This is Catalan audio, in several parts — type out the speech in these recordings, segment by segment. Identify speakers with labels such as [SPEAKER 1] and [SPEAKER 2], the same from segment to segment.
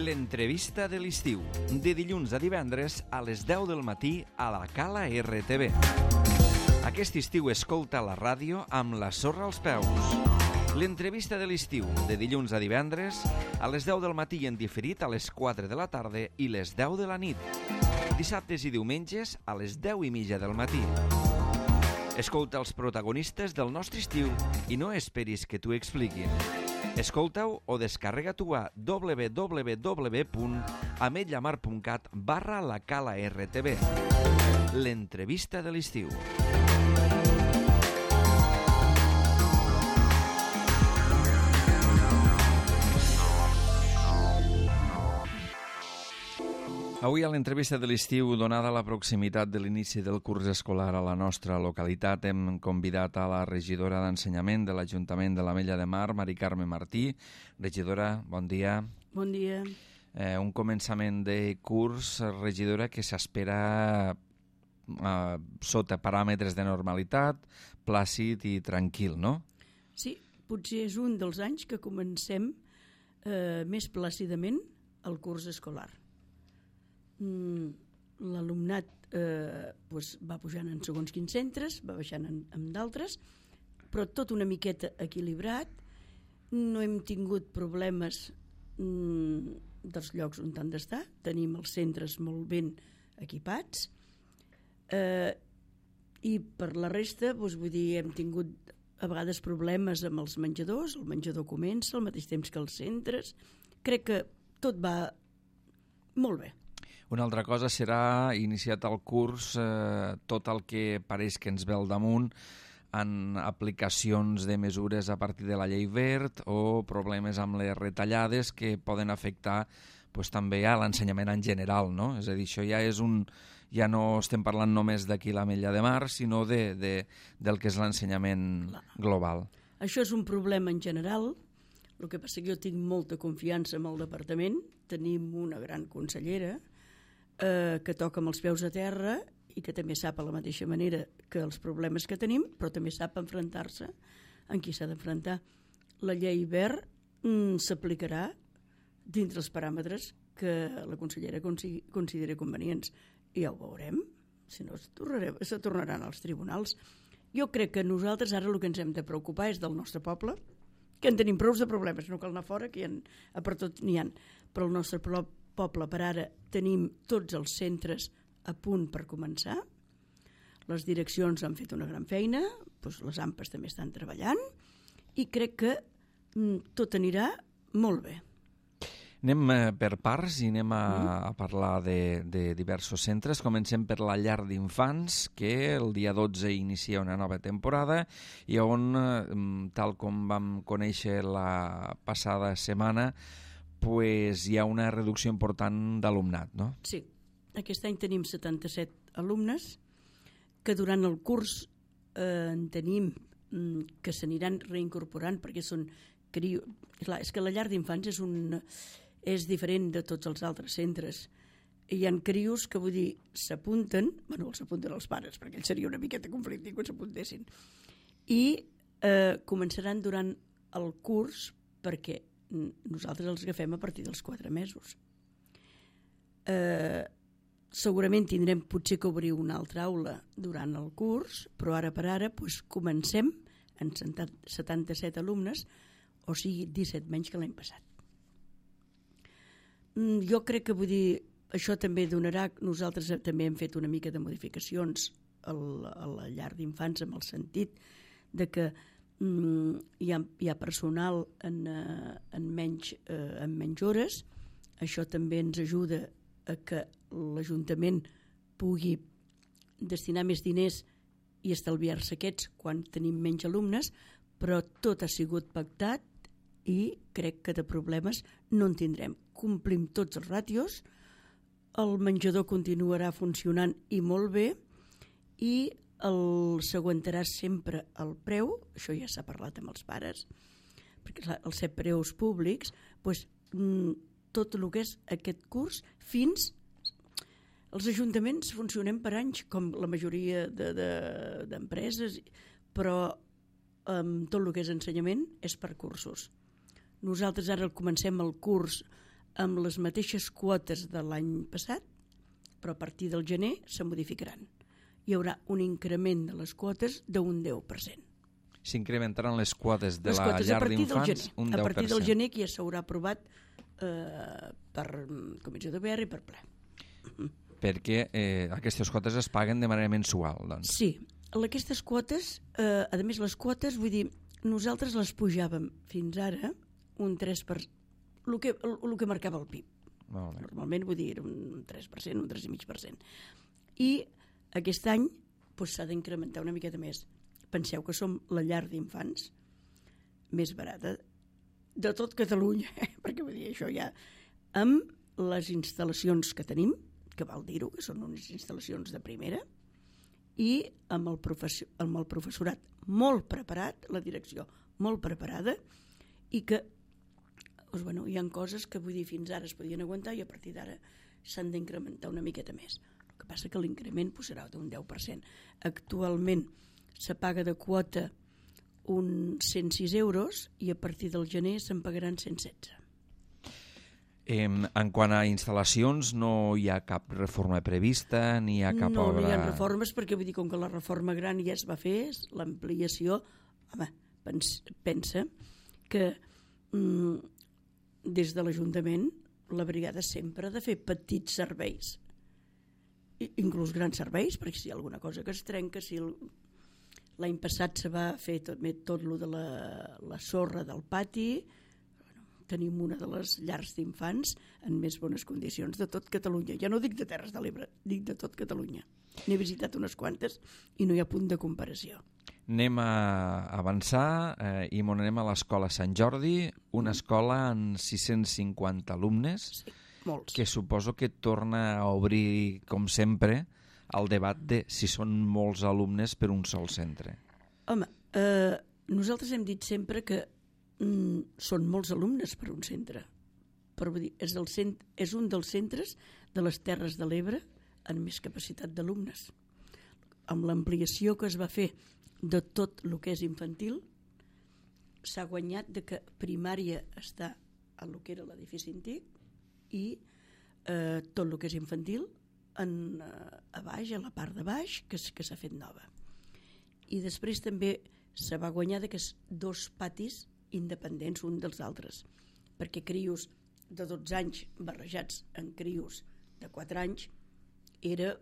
[SPEAKER 1] L'entrevista de l'estiu, de dilluns a divendres a les 10 del matí a la Cala RTV. Aquest estiu escolta la ràdio amb la sorra als peus. L'entrevista de l'estiu, de dilluns a divendres a les 10 del matí en diferit a les 4 de la tarda i les 10 de la nit. Dissabtes i diumenges a les 10:30 del matí. Escolta els protagonistes del nostre estiu i no esperis que t'ho expliquin. Escolta-ho o descarrega-t'ho a www.ametlllamar.cat/la Cala RTV. L'entrevista de l'estiu. Avui a l'entrevista de l'estiu, donada la proximitat de l'inici del curs escolar a la nostra localitat, hem convidat a la regidora d'Ensenyament de l'Ajuntament de l'Ametlla de Mar, Mari Carme Martí. Regidora, bon dia.
[SPEAKER 2] Bon dia.
[SPEAKER 1] Un començament de curs, regidora, que s'espera sota paràmetres de normalitat, plàcid i tranquil, no?
[SPEAKER 2] Sí, potser és un dels anys que comencem més plàcidament el curs escolar. L'alumnat va pujant en segons quins centres, va baixant en d'altres, però tot una miqueta equilibrat. No hem tingut problemes dels llocs on han d'estar, tenim els centres molt ben equipats, i per la resta, vull dir, hem tingut a vegades problemes amb els menjadors, el menjador comença al mateix temps que els centres. Crec que tot va molt bé.
[SPEAKER 1] Una altra cosa serà, iniciat el curs, tot el que pareix que ens ve al damunt en aplicacions de mesures a partir de la llei verd o problemes amb les retallades que poden afectar també a l'ensenyament en general, no? És a dir, això ja no estem parlant només d'aquí l'Ametlla de Mar, sinó del que és l'ensenyament global.
[SPEAKER 2] Això és un problema en general. El que passa que jo tinc molta confiança en el departament. Tenim una gran consellera que toca amb els peus a terra i que també sap a la mateixa manera que els problemes que tenim, però també sap enfrontar-se en qui s'ha d'enfrontar. La llei verd s'aplicarà dins els paràmetres que la consellera consideri convenients, i ja ho veurem, si no se tornaran als tribunals. Jo crec que nosaltres ara el que ens hem de preocupar és del nostre poble, que en tenim prou de problemes, no cal anar fora, que per tot n'hi ha, però el nostre poble per ara tenim tots els centres a punt per començar. Les direccions han fet una gran feina, les AMPAs també estan treballant i crec que tot anirà molt bé.
[SPEAKER 1] Anem per parts i anem a parlar de diversos centres. Comencem per la llar d'infants, que el dia 12 inicia una nova temporada i on, tal com vam conèixer la passada setmana, hi ha una reducció important d'alumnat, no?
[SPEAKER 2] Sí, aquest any tenim 77 alumnes que durant el curs en tenim que s'aniran reincorporant perquè són crios. Clar, és que la llar d'infants és diferent de tots els altres centres. Hi ha crios que, vull dir, s'apunten, els apunten els pares, perquè ells seria una miqueta conflictiu quan s'apuntessin, i començaran durant el curs perquè nosaltres els agafem a partir dels 4 mesos. Segurament tindrem potser que obrir una altra aula durant el curs, però ara per ara comencem en 77 alumnes, o sigui 17 menys que l'any passat. Jo crec que, vull dir, això també donarà. Nosaltres també hem fet una mica de modificacions a la llar d'infants, en el sentit de que hi ha personal en menys hores. Això també ens ajuda a que l'Ajuntament pugui destinar més diners i estalviar-se aquests quan tenim menys alumnes, però tot ha sigut pactat i crec que de problemes no en tindrem. Complim tots els ràtios, el menjador continuarà funcionant i molt bé, i s'aguantarà sempre el preu, això ja s'ha parlat amb els pares, perquè clar, els 7 preus públics, tot el que és aquest curs fins... Els ajuntaments funcionem per anys, com la majoria d'empreses, però tot el que és ensenyament és per cursos. Nosaltres ara comencem el curs amb les mateixes quotes de l'any passat, però a partir del gener se modificaran. Hi haurà un increment de les quotes d'un 10%.
[SPEAKER 1] S'incrementaran les quotes de la llar d'infants un 10%.
[SPEAKER 2] A partir del gener, que ja s'haurà aprovat per comissió de PR i per ple.
[SPEAKER 1] Perquè aquestes quotes es paguen de manera mensual, doncs.
[SPEAKER 2] Sí, aquestes quotes, a més les quotes, vull dir, nosaltres les pujàvem fins ara un 3%, el que marcava el PIB.
[SPEAKER 1] Molt bé.
[SPEAKER 2] Normalment, vull dir, era un 3%, un 3,5%. I aquest any s'ha d'incrementar una miqueta més. Penseu que som la llar d'infants més barata de tot Catalunya, perquè vull dir, això ja, amb les instal·lacions que tenim, que val dir-ho, que són unes instal·lacions de primera, i amb el professorat molt preparat, la direcció molt preparada, i que doncs, bueno, hi ha coses que vull dir fins ara es podien aguantar i a partir d'ara s'han d'incrementar una miqueta més. El que passa que l'increment serà d'un 10%. Actualment se paga de quota uns 106 euros i a partir del gener se'n pagaran 116.
[SPEAKER 1] En quant a instal·lacions, no hi ha cap reforma prevista, ni hi ha cap obra...
[SPEAKER 2] No hi ha reformes, perquè vull dir, com que la reforma gran ja es va fer, l'ampliació, home, pensa que des de l'Ajuntament la brigada sempre ha de fer petits serveis, inclús grans serveis, perquè si hi ha alguna cosa que es trenca, si l'any passat se va fer tot lo de la sorra del pati, tenim una de les llars d'infants en més bones condicions de tot Catalunya. Ja no dic de Terres de l'Ebre, dic de tot Catalunya. N'he visitat unes quantes i no hi ha punt de comparació.
[SPEAKER 1] Anem a avançar i anem a l'escola Sant Jordi, una escola amb 650 alumnes,
[SPEAKER 2] sí, molts.
[SPEAKER 1] Que suposo que torna a obrir, com sempre, el debat de si són molts alumnes per un sol centre.
[SPEAKER 2] Home, nosaltres hem dit sempre que són molts alumnes per un centre, però vull dir, és un dels centres de les Terres de l'Ebre amb més capacitat d'alumnes. Amb l'ampliació que es va fer de tot el que és infantil, s'ha guanyat de que primària està a el que era l'edifici antic i tot el que és infantil a baix, a la part de baix, que s'ha fet nova. I després també se va guanyar de que dos patis independents un dels altres, perquè crios de 12 anys barrejats en crios de 4 anys era,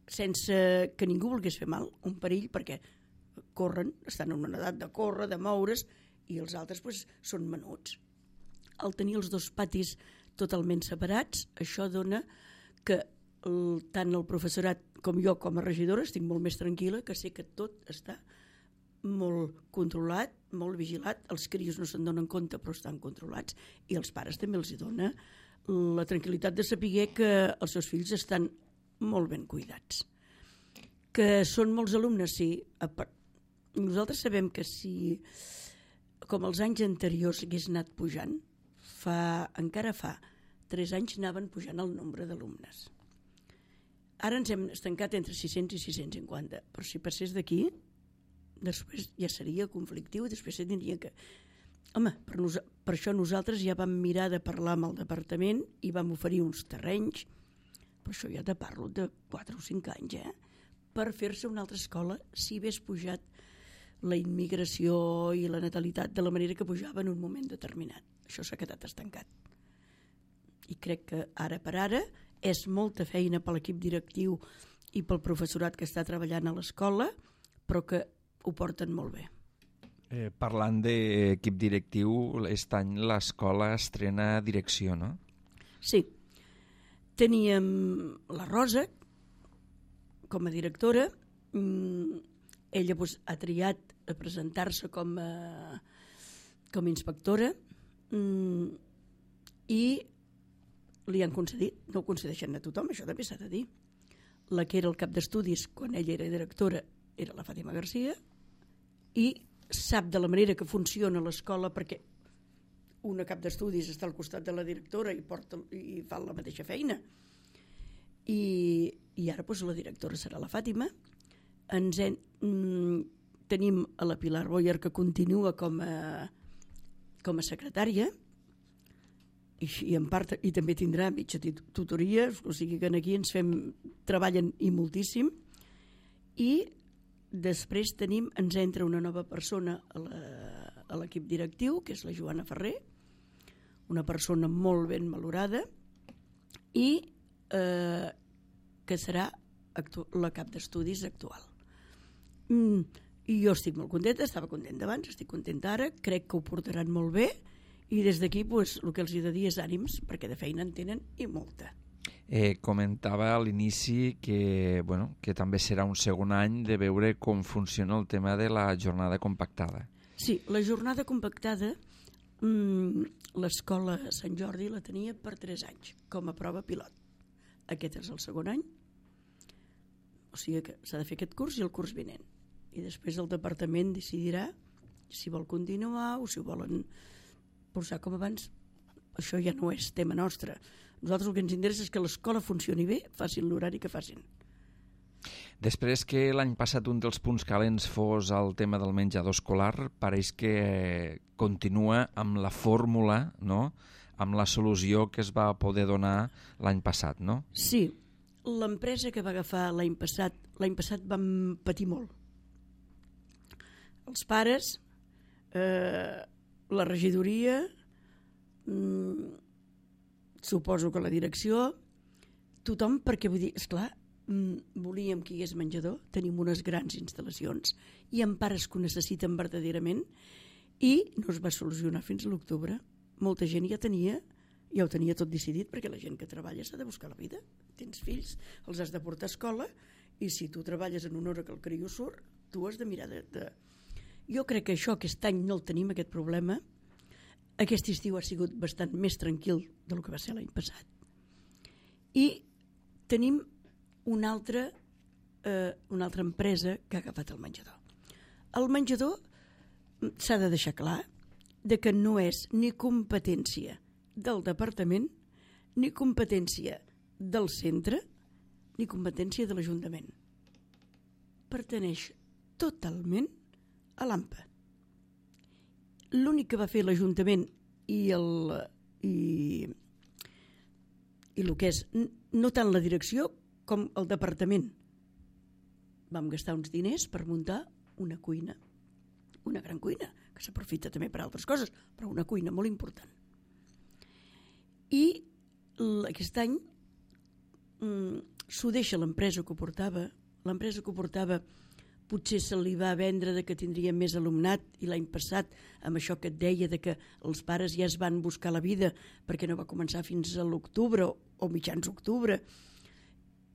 [SPEAKER 2] sense que ningú volgués fer mal, un perill, perquè corren, estan en una edat de córrer, de moure's, i els altres són menuts. Al tenir els dos patis totalment separats, això dona que tant el professorat com jo com a regidora estic molt més tranquil·la, que sé que tot està molt controlat, molt vigilat, els crios no se'n donen compte però estan controlats, i els pares també els dona la tranquil·litat de saber que els seus fills estan molt ben cuidats. Que són molts alumnes, sí. Nosaltres sabem que si, com els anys anteriors, hagués anat pujant, encara fa 3 anys anaven pujant el nombre d'alumnes. Ara ens hem estancat entre 600 i 650, però si passés d'aquí, després ja seria conflictiu, després se tindria que... Home, per això nosaltres ja vam mirar de parlar amb el departament i vam oferir uns terrenys, però això ja te parlo de 4 o 5 anys, per fer-se una altra escola si hagués pujat la immigració i la natalitat de la manera que pujava en un moment determinat. Això s'ha quedat estancat. I crec que ara per ara és molta feina per l'equip directiu i pel professorat que està treballant a l'escola, però que ho porten molt bé.
[SPEAKER 1] Parlant d'equip directiu, aquest any l'escola estrena direcció, no?
[SPEAKER 2] Sí. Teníem la Rosa com a directora. Ella ha triat a presentar-se com a inspectora i li han concedit, no ho concedeixen a tothom, això també s'ha de dir. La que era el cap d'estudis quan ella era directora era la Fàtima Garcia, i sap de la manera que funciona l'escola, perquè una cap d'estudis està al costat de la directora i fa la mateixa feina. I ara la directora serà la Fàtima. Tenim a la Pilar Boyer, que continua com a secretària, i en part i també tindrà mitja tutoria, o sigui que aquí treballen i moltíssim, i després ens entra una nova persona a l'equip directiu, que és la Joana Ferrer, una persona molt ben valorada i que serà la cap d'estudis actual. I jo estic molt contenta, estava contenta abans, estic contenta ara, crec que ho portaran molt bé i des d'aquí el que els he de dir és ànims, perquè de feina en tenen i molta.
[SPEAKER 1] Comentava a l'inici que també serà un segon any de veure com funciona el tema de la jornada compactada.
[SPEAKER 2] Sí, la jornada compactada l'escola Sant Jordi la tenia per 3 anys com a prova pilot. Aquest és el segon any, o sigui que s'ha de fer aquest curs i el curs vinent. I després el departament decidirà si vol continuar o si ho volen posar com abans. Això ja no és tema nostre. Nosaltres el que ens interessa és que l'escola funcioni bé, facin l'horari que facin.
[SPEAKER 1] Després que l'any passat un dels punts calents fos el tema del menjador escolar, pareix que continua amb la fórmula, no?, amb la solució que es va poder donar l'any passat, no?
[SPEAKER 2] Sí, l'empresa que va agafar l'any passat vam patir molt. Els pares, la regidoria, suposo que la direcció, tothom, perquè vull dir, esclar, volíem que hi hagués menjador, tenim unes grans instal·lacions i amb pares que ho necessiten verdaderament i no es va solucionar fins a l'octubre. Molta gent ja ho tenia tot decidit, perquè la gent que treballa s'ha de buscar la vida. Tens fills, els has de portar a escola i si tu treballes en una hora que el criu surt, tu has de mirar de... Jo crec que això aquest any no el tenim, aquest problema. Aquest estiu ha sigut bastant més tranquil del que va ser l'any passat. I tenim una altra empresa que ha agafat el menjador. El menjador s'ha de deixar clar de que no és ni competència del departament, ni competència del centre, ni competència de l'Ajuntament. Pertaneix totalment a l'AMPA. L'únic que va fer l'Ajuntament i el que és no tant la direcció com el departament. Vam gastar uns diners per muntar una cuina, una gran cuina, que s'aprofita també per altres coses, però una cuina molt important. I aquest any s'ho deixa l'empresa que ho portava. L'empresa que ho portava potser se li va vendre de que tindria més alumnat i l'any passat amb això que et deia de que els pares ja es van buscar la vida perquè no va començar fins a l'octubre o mitjans d'octubre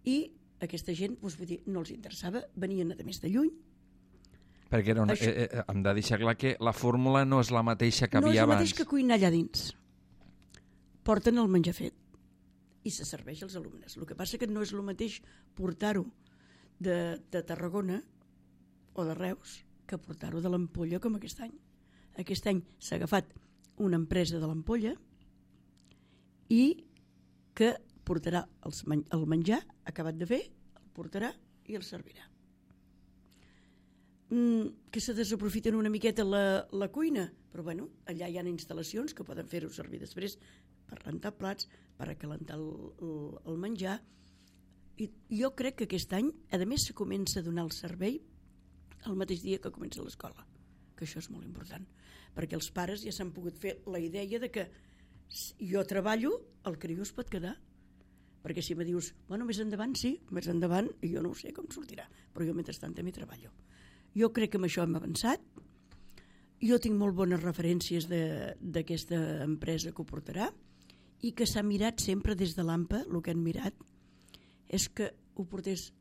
[SPEAKER 2] i aquesta gent vull dir, no els interessava, venien a més de lluny.
[SPEAKER 1] Perquè hem de deixar clar que la fórmula no és la mateixa que havia abans.
[SPEAKER 2] No és el mateix que cuinar allà dins. Porten el menjar fet i se serveix als alumnes. El que passa que no és el mateix portar-ho de Tarragona o de Reus que portar-ho de l'Ampolla com aquest any. Aquest any s'ha agafat una empresa de l'Ampolla i que portarà el menjar acabat de fer, el portarà i el servirà. Que se desaprofiten una miqueta la cuina, però bueno, allà hi ha instal·lacions que poden fer-ho servir després per rentar plats, per acalentar el menjar. I jo crec que aquest any, a més, se comença a donar el servei el mateix dia que comença l'escola, que això és molt important, perquè els pares ja s'han pogut fer la idea de que jo treballo, el criu es pot quedar, perquè si me dius, bueno, més endavant, sí, més endavant, i jo no ho sé com sortirà, però jo mentrestant també treballo. Jo crec que amb això hem avançat, jo tinc molt bones referències d'aquesta empresa que ho portarà i que s'ha mirat sempre des de l'AMPA, el que han mirat és que ho portés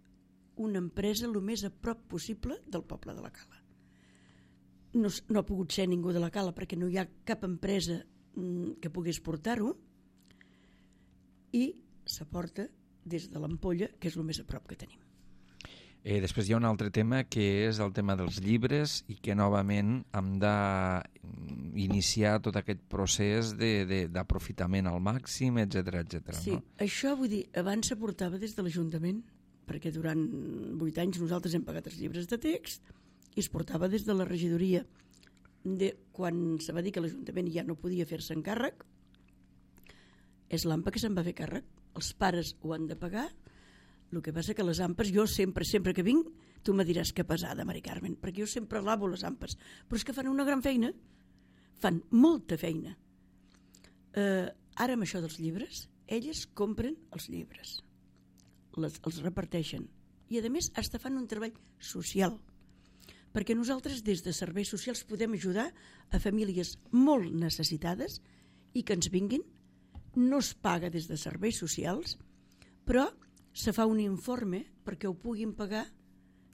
[SPEAKER 2] una empresa el més a prop possible del poble de la Cala. No ha pogut ser ningú de la Cala perquè no hi ha cap empresa que pogués portar-ho i s'aporta des de l'Ampolla, que és el més a prop que tenim.
[SPEAKER 1] Després hi ha un altre tema que és el tema dels llibres i que novament hem d'iniciar tot aquest procés d'aprofitament al màxim, etc.
[SPEAKER 2] Sí, no? Això vull dir, abans s'aportava des de l'Ajuntament, perquè durant 8 anys nosaltres hem pagat els llibres de text i es portava des de la regidoria. Quan se va dir que l'Ajuntament ja no podia fer-se encàrrec, és l'AMPA que se'n va fer càrrec. Els pares ho han de pagar. El que passa que les AMPAs, jo sempre que vinc, tu me diràs que pesada, Mari Carmen, perquè jo sempre lavo les AMPAs, però és que fan una gran feina, fan molta feina. Ara amb això dels llibres, elles compren els llibres, els reparteixen, i a més hasta fan un treball social, perquè nosaltres des de serveis socials podem ajudar a famílies molt necessitades i que ens vinguin. No es paga des de serveis socials, però se fa un informe perquè ho puguin pagar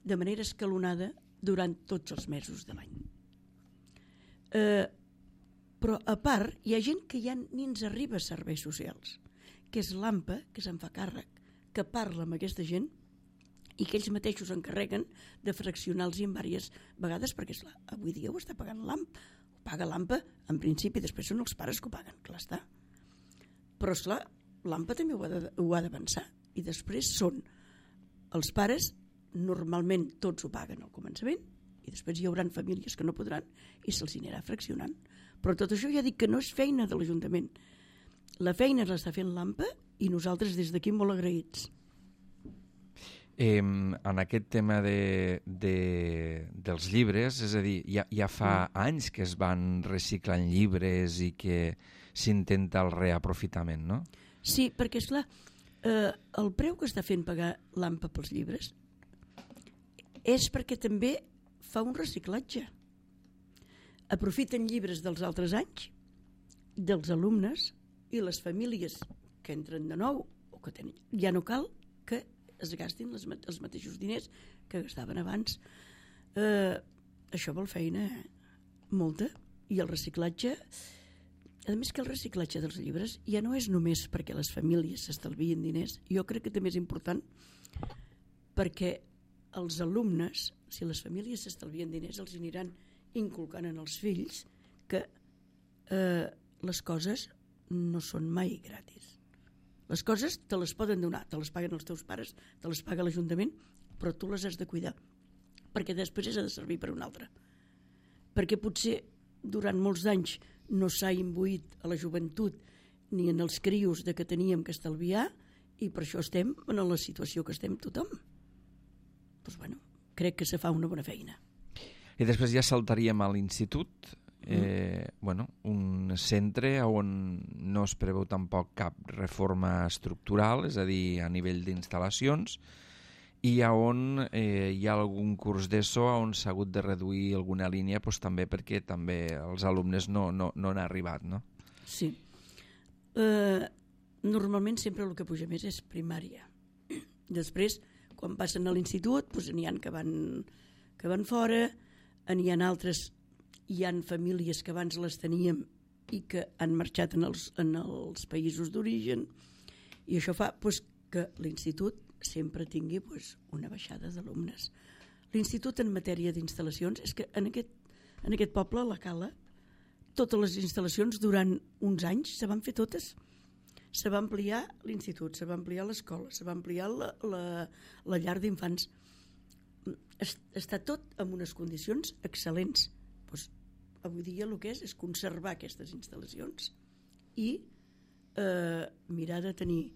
[SPEAKER 2] de manera escalonada durant tots els mesos de l'any. Però a part hi ha gent que ja ni ens arriba a serveis socials, que és l'AMPA, que se'n fa càrrec, que parla amb aquesta gent i que ells mateixos s'encarreguen de fraccionar-los en diverses vegades, perquè esclar, avui dia ho està pagant l'AMPA, ho paga l'AMPA en principi, després són els pares que ho paguen, clar està. Però esclar, l'AMPA també ho ha d'avançar, i després són els pares, normalment tots ho paguen al començament, i després hi haurà famílies que no podran i se'ls anirà fraccionant. Però tot això ja dic que no és feina de l'Ajuntament. La feina l'està fent l'AMPA i nosaltres des d'aquí molt agraïts.
[SPEAKER 1] En aquest tema dels llibres, és a dir, ja fa anys que es van reciclant llibres i que s'intenta el reaprofitament, no?
[SPEAKER 2] Sí, perquè esclar, el preu que està fent pagar l'AMPA pels llibres és perquè també fa un reciclatge. Aprofiten llibres dels altres anys, dels alumnes, i les famílies que entren de nou o que tenen, ja no cal que es gastin els mateixos diners que gastaven abans. Això vol feina, molta, i el reciclatge, a més que el reciclatge dels llibres ja no és només perquè les famílies s'estalvien diners, jo crec que també és important perquè els alumnes, si les famílies s'estalvien diners, els aniran inculcant en els fills que les coses no són mai gratis. Les coses te les poden donar, te les paguen els teus pares, te les paga l'Ajuntament, però tu les has de cuidar, perquè després has de servir per un altre. Perquè potser durant molts anys no s'ha imbuït a la joventut ni en els crios de que teníem que estalviar, i per això estem en la situació que estem tothom. Doncs bueno, crec que se fa una bona feina.
[SPEAKER 1] I després ja saltaríem a l'institut, un centre on no es preveu tampoc cap reforma estructural, és a dir, a nivell d'instal·lacions, i on hi ha algun curs d'ESO on s'ha hagut de reduir alguna línia, doncs, també perquè també els alumnes no han arribat, no?
[SPEAKER 2] Sí. Normalment sempre el que puja més és primària. Després, quan passen a l'institut, doncs n'hi ha que van fora, n'hi ha altres. Hi ha famílies que abans les teníem i que han marxat en els països d'origen, i això fa que l'institut sempre tingui una baixada d'alumnes. L'institut en matèria d'instal·lacions és que en aquest poble, a la Cala, totes les instal·lacions durant uns anys se van fer totes. Se va ampliar l'institut, se va ampliar l'escola, se va ampliar la llar d'infants. Està tot en unes condicions excel·lents. Avui dia el que és conservar aquestes instal·lacions i mirar de tenir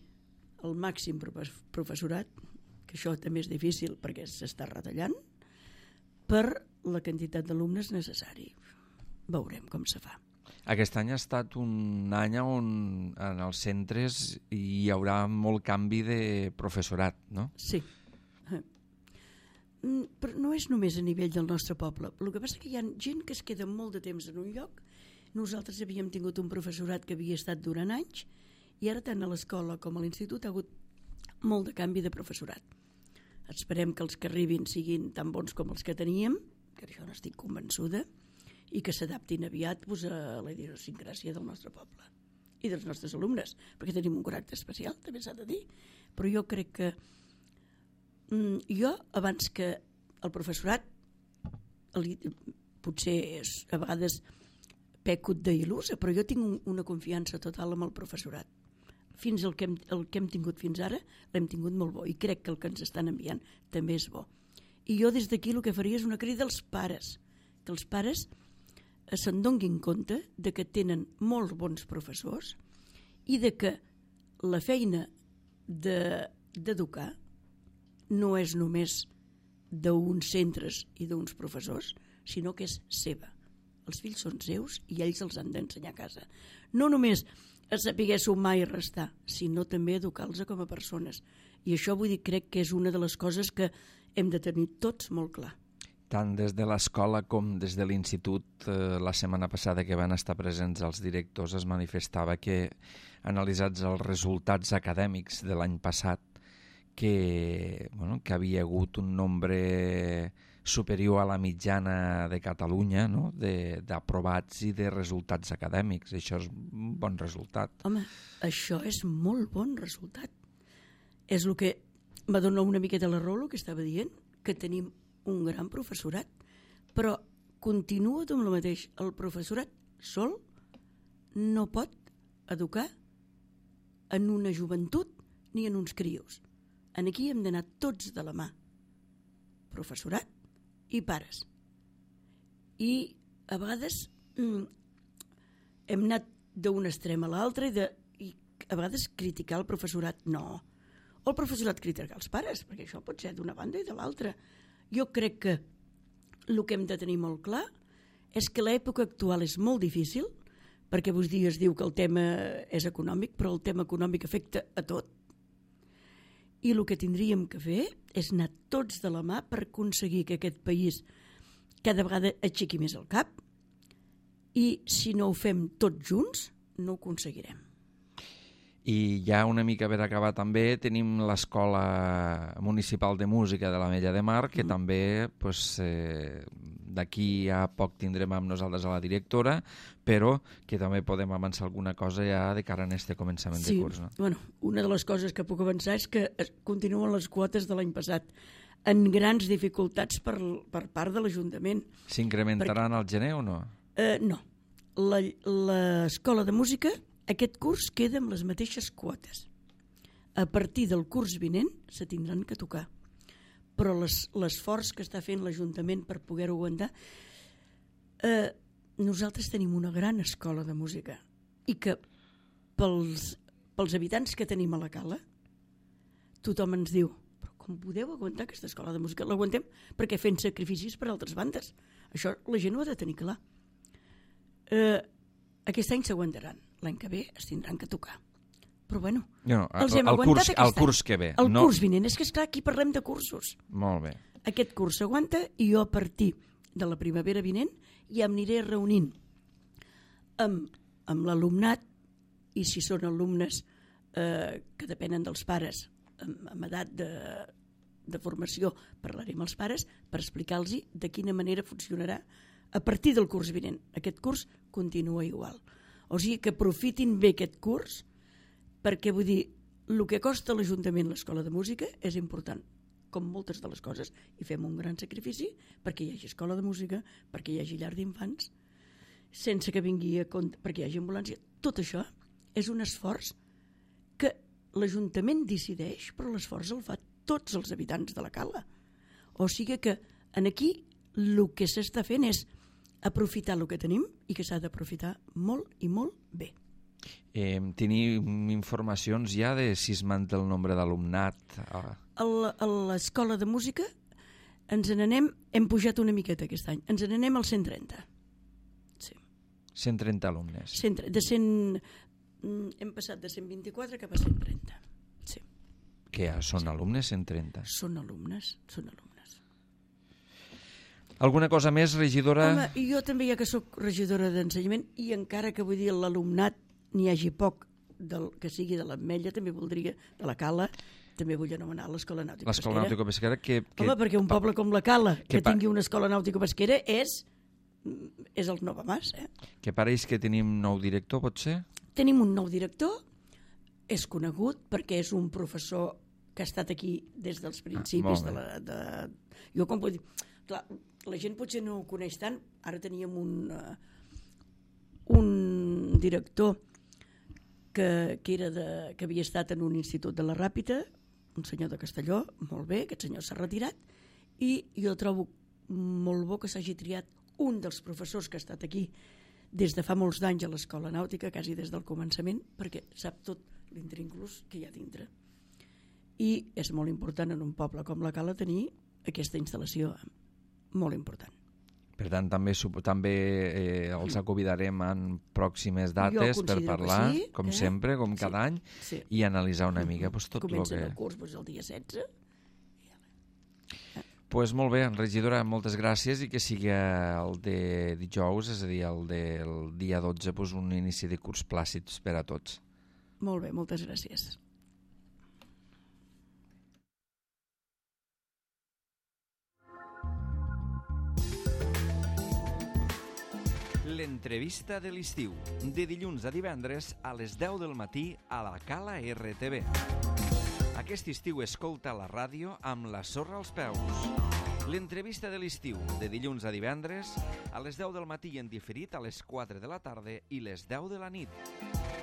[SPEAKER 2] el màxim professorat, que això també és difícil perquè s'està retallant, per la quantitat d'alumnes necessari. Veurem com se fa.
[SPEAKER 1] Aquest any ha estat un any on en els centres hi haurà molt canvi de professorat, no?
[SPEAKER 2] Sí. Però no és només a nivell del nostre poble. El que passa és que hi ha gent que es queda molt de temps en un lloc. Nosaltres havíem tingut un professorat que havia estat durant anys i ara tant a l'escola com a l'institut ha hagut molt de canvi de professorat. Esperem que els que arribin siguin tan bons com els que teníem, que això n'estic convençuda, i que s'adaptin aviat a la idiosincràsia del nostre poble i dels nostres alumnes, perquè tenim un caràcter especial, també s'ha de dir. Però jo crec que jo, abans que el professorat, potser a vegades peco d'il·lusa, però jo tinc una confiança total amb el professorat. Fins el que hem tingut fins ara l'hem tingut molt bo, i crec que el que ens estan enviant també és bo. I jo des d'aquí el que faria és una crida als pares, que els pares se'n donguin compte de que tenen molts bons professors i de que la feina d'educar no és només d'uns centres i d'uns professors, sinó que és seva. Els fills són seus i ells els han d'ensenyar a casa. No només a saber sumar i restar, sinó també educar-los com a persones. I això vull dir, crec que és una de les coses que hem de tenir tots molt clar.
[SPEAKER 1] Tant des de l'escola com des de l'institut, la setmana passada que van estar presents els directors es manifestava que, analitzats els resultats acadèmics de l'any passat, que havia hagut un nombre superior a la mitjana de Catalunya, no? D'aprovats i de resultats acadèmics. Això és un bon resultat.
[SPEAKER 2] Home, això és molt bon resultat. És el que va donar una miqueta la raó, el que estava dient, que tenim un gran professorat, però continua amb el mateix. El professorat sol no pot educar en una joventut ni en uns crios. Aquí hem d'anar tots de la mà, professorat i pares. I a vegades hem anat d'un extrem a l'altre i a vegades criticar el professorat, no. O el professorat criticar els pares, perquè això pot ser d'una banda i de l'altra. Jo crec que el que hem de tenir molt clar és que l'època actual és molt difícil, perquè avui dia es diu que el tema és econòmic, però el tema econòmic afecta a tot. I el que tindríem que fer és anar tots de la mà per aconseguir que aquest país cada vegada aixequi més el cap, i si no ho fem tots junts no ho aconseguirem.
[SPEAKER 1] I ja una mica per acabar també tenim l'Escola Municipal de Música de l'Ametlla de Mar, que també d'aquí a poc tindrem amb nosaltres a la directora, però que també podem avançar alguna cosa ja de cara a aquest començament de curs. No?
[SPEAKER 2] Bueno, una de les coses que puc avançar és que continuen les quotes de l'any passat en grans dificultats per part de l'Ajuntament.
[SPEAKER 1] S'incrementaran al gener o no?
[SPEAKER 2] No. L'Escola de Música aquest curs queda amb les mateixes quotes. A partir del curs vinent se tindran que tocar. Però l'esforç que està fent l'Ajuntament per poder-ho aguantar, nosaltres tenim una gran escola de música i que pels habitants que tenim a la Cala tothom ens diu, però com podeu aguantar aquesta escola de música? L'aguantem perquè fent sacrificis per altres bandes. Això la gent ho ha de tenir clar. Aquest any s'aguantaran. L'any que ve es tindran que tocar. Però bueno, els hem aguantat aquest any.
[SPEAKER 1] El curs que ve.
[SPEAKER 2] El curs vinent. És que esclar, aquí parlem de cursos.
[SPEAKER 1] Molt bé.
[SPEAKER 2] Aquest curs s'aguanta i jo a partir de la primavera vinent ja em aniré reunint amb l'alumnat, i si són alumnes que depenen dels pares amb edat de formació, parlaré amb els pares per explicar-los de quina manera funcionarà a partir del curs vinent. Aquest curs continua igual. O sigui que aprofitin bé aquest curs, perquè vull dir, el que costa a l'Ajuntament l'Escola de Música és important, com moltes de les coses, i fem un gran sacrifici perquè hi hagi escola de música, perquè hi hagi llar d'infants, sense que vingui a compte, perquè hi hagi ambulància. Tot això és un esforç que l'Ajuntament decideix, però l'esforç el fa tots els habitants de la Cala. O sigui que aquí el que s'està fent és aprofitar el que tenim i que s'ha d'aprofitar molt i molt bé.
[SPEAKER 1] Tenim informacions ja de si es manté el nombre d'alumnat?
[SPEAKER 2] A l'escola de música hem pujat una miqueta aquest any, ens n'anem als 130. Sí.
[SPEAKER 1] 130 alumnes.
[SPEAKER 2] Hem passat de 124 cap a 130. Sí.
[SPEAKER 1] Que són alumnes 130?
[SPEAKER 2] Són alumnes.
[SPEAKER 1] Alguna cosa més, regidora?
[SPEAKER 2] Home, jo també, ja que sóc regidora d'ensenyament, i encara que vull dir l'alumnat n'hi hagi poc que sigui de l'Ametlla, també voldria, de la Cala, també vull anomenar l'Escola Nàutica Pesquera.
[SPEAKER 1] L'Escola Nàutica Pesquera
[SPEAKER 2] Home, perquè un poble com la Cala, que tingui una Escola Nàutica Pesquera, és el Nova Mas.
[SPEAKER 1] Que pareix que tenim nou director, pot ser?
[SPEAKER 2] Tenim un nou director, és conegut perquè és un professor que ha estat aquí des dels principis Jo com puc dir... Clar, la gent potser no ho coneix tant. Ara teníem un director que havia estat en un institut de la Ràpita, un senyor de Castelló, molt bé, aquest senyor s'ha retirat, i jo trobo molt bo que s'hagi triat un dels professors que ha estat aquí des de fa molts d'anys a l'Escola Nàutica, quasi des del començament, perquè sap tot l'intrínculus que hi ha dintre. I és molt important en un poble com la Cala tenir aquesta instal·lació, molt important.
[SPEAKER 1] Per tant, també els convidarem en pròximes dates per parlar, sí, com sempre, com cada any, i analitzar una mica tot el que...
[SPEAKER 2] Comencen el curs el dia 16.
[SPEAKER 1] Doncs molt bé, regidora, moltes gràcies, i que sigui el de dijous, és a dir, el del dia 12, un inici de curs plàcid per a tots.
[SPEAKER 2] Molt bé, moltes gràcies.
[SPEAKER 1] L'entrevista de l'estiu, de dilluns a divendres a les 10 del matí a la Cala RTV. Aquest estiu escolta la ràdio amb la sorra als peus. L'entrevista de l'estiu, de dilluns a divendres a les 10 del matí i en diferit a les 4 de la tarda i les 10 de la nit.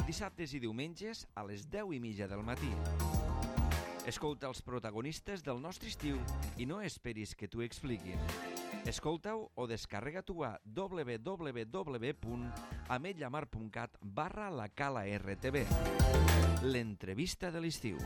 [SPEAKER 1] Dissabtes i diumenges a les 10:30 del matí. Escolta els protagonistes del nostre estiu i no esperis que t'ho expliquin. Escolta-ho o descarrega-t'ho a www.ametlllamar.cat/la Cala RTV. L'entrevista de l'estiu.